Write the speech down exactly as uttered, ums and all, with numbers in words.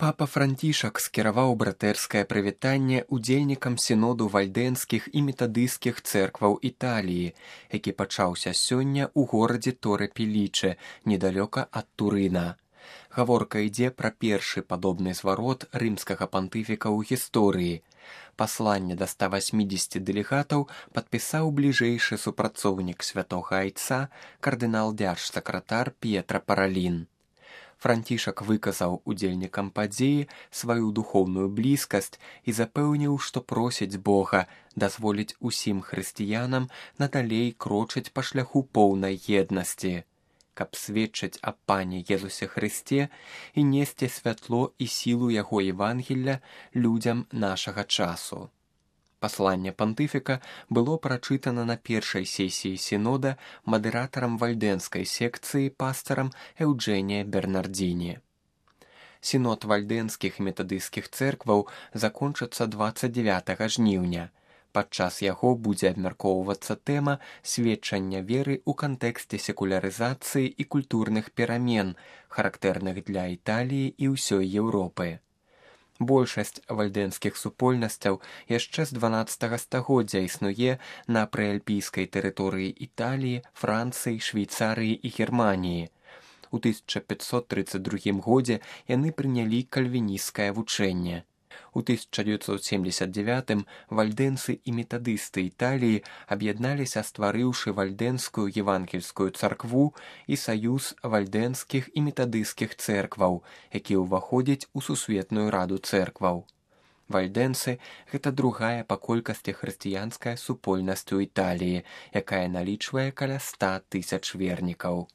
Папа Францішак скіраваў братэрскае прывітанне ўдзельнікам сіноду вальдэнскіх і метадысцкіх цэркваў Італіі, які пачаўся сёння ў горадзе Торе-Пелічэ, недалёка ад Турына. Гаворка ідзе пра першы падобны зварот рымскага пантыфіка ў гісторыі. Пасланне да ста васьмідзесяці дэлегатаў падпісаў бліжэйшы супрацоўнік святога айца, кардынал-дзяржсакратар П'етра Паралін. Францішак выказаў удзельнікам падзеі сваю духоўную блізкасць і запэўніў, што просіць Бога дазволіць усім хрысціянам надалей крочыць па шляху поўнай еднасці, каб сведчыць аб Пане Езусе Хрысце і несці святло і сілу яго Евангелля людзям нашага часу. Пасланне пантыфіка было прачытана на першай сесіі сінода мадэратарам вальдэнскай секцыі пастарам Эўджэнія Бернардзіні. Сінод вальдэнскіх і метадысцкіх цэркваў закончыцца дваццаць дзевятага жніўня. Падчас яго будзе абмяркоўвацца тэма сведчання веры ў кантэксце секулярызацыі і культурных перамен, характэрных для Італіі і ўсёй Еўропы. Большасць вальдэнскіх супольнасцяў яшчэ з дванаццатага стагоддзя існуе на прыальпійскай тэрыторыі Італіі, Францыі, Швейцарыі і Германіі. У тысяча пятьсот тридцать другім годзе яны прынялі кальвінісцкае вучэнне. У тысяча дзевяцьсот семьдесят девятым вальдэнцы і метадысты Італіі аб'ядналіся, стварыўшы вальдэнскую евангельскую царкву і саюз вальдэнскіх і метадысцкіх цэркваў, які ўваходзіць у сусветную раду цэркваў. Вальдэнцы – гэта другая па колькасці хрысціянская супольнасць у Італіі, якая налічвае каля ста тысяч вернікаў.